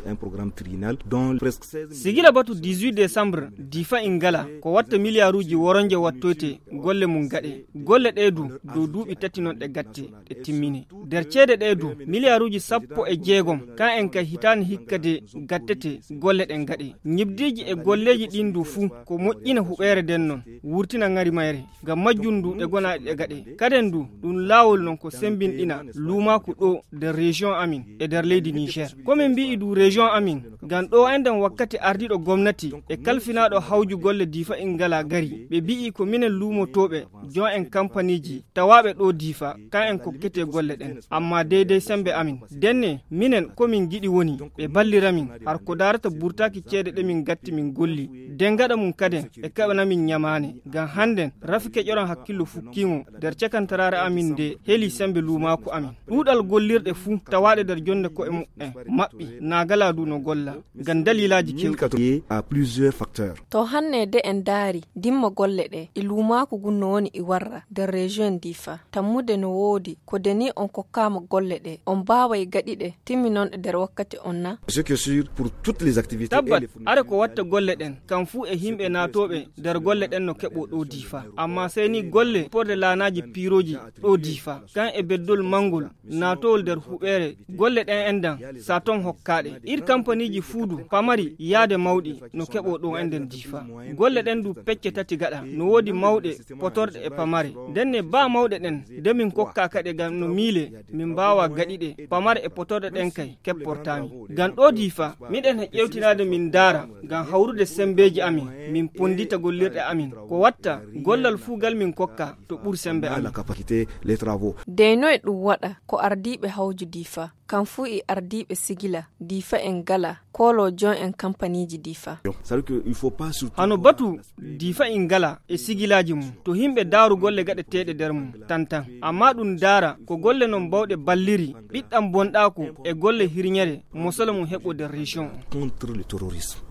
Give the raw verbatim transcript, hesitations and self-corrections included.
un programme triennal dont presque seize milliards. Sigila batu dix-huit décembre, Difa Ingala, ko watta miliyaaruuji woronje wattoyte golle mum gaɗe. Golle ɗee du, dow duuɓi tati non ɗe gatte, ɗe timmine. Nder ceede ɗee du, miliyaaruuji sappo e jeegom, kan en kay hitaande hikka de gattete golle ɗen gaɗe. Ñibdiiji e golleeji ɗin du fuu, ko moƴƴina huɓeere nden non, wurtina ŋari mayre. Ngam majjum du, ɗe gonaaɗe ɗe gaɗe. Kaden du, ɗum laawol non ko sembinɗina luumaaku ɗo nder région amin e nder leydi Niger. Ko min mbi'i du région amin, ngam ɗo enɗen wakkati ardiiɗo gomnati e kalfinaaɗo hawju golle Difa Ingala gari, ɓe mbi'i ko minen luumotooɓe, jon en kampaniiji tawaaɓe ɗo Difa, kan en kokkete golle ɗen. Amma deydey sembe amin. Denne, minen ko min ngiɗi woni, ɓe ballira min, har ko daarata burtaaki ceede ɗe min gatti min golli. Den gaɗa mum kaden, ɓe kaɓana min ñamaane. Ngam hannden, rafi keƴoran hakkillo fukkiimo, nder cakantaraare amin nde heli sembe luumaaku amin. Ɗuuɗal gollirɗe fuu tawaaɗe nder jonde ko'e muɓɓen, maɓɓi, naagala du no golla. Ngam daliilaaji kewɗi. Lié à plusieurs facteurs. To hanne de en daari, dimma golle ɗe, e luumaaku gun no woni e warra nder région Difa. Tammude no woodi, ko de ni on kokkaama golle ɗe, on baaway gaɗi ɗe, timminonɗe nder wakkati on na? Ce qui est sûr, pour toutes les activités et Tabbat, les fournitures are ko watta golle ɗen, kam fuu e himɓe naatooɓe nder golle ɗen no keɓo ɗo Difa. Amma sey ni golle porde laanaaji piirooji ɗo Difa, kan e beddol mangol, naatowol nder huɓeere, golle ɗen enɗan, sa ton hokkaaɗe. Ir kampaniiji fuu du, pamari yaade mawɗi, no keɓo ɗo enɗen Difa. Golle ɗen du pecce tati gaɗa, no woodi mawɗe, potorɗe e pamare. Ndenne baa mawɗe ɗen, de min kokkaa kaɗe ngam no miile, min mbaawa gaɗi ɗe, pamare e potorɗe ɗen kay, kepportaami. Ngam ɗo Difa, miɗen e ƴewtinaade min ndaara, ngam hawrude sembeeji amin, min ponndita gollirɗe amin. Ko watta, gollal fuu gal min kokka, to ɓur sembe amin. La capacité, les travaux. Dey noy ɗum waɗa ko ardiiɓe hawju Difa, kam fuu e ardiiɓe sigila Difa en gala, kooloo jon en kampaniiji Difa. C'est-à-dire que il faut pas surtout Hano batu Difa en gala e sigilaaji mum, to himɓe daaru golle gaɗeteeɗe nder mum, tan tan. Amma ɗum daara ko golle non bawɗe balliri, ɓiɗɗam bonɗaaku e golle hirñere, mosolo mum heɓo nder région on. Contre le terrorisme.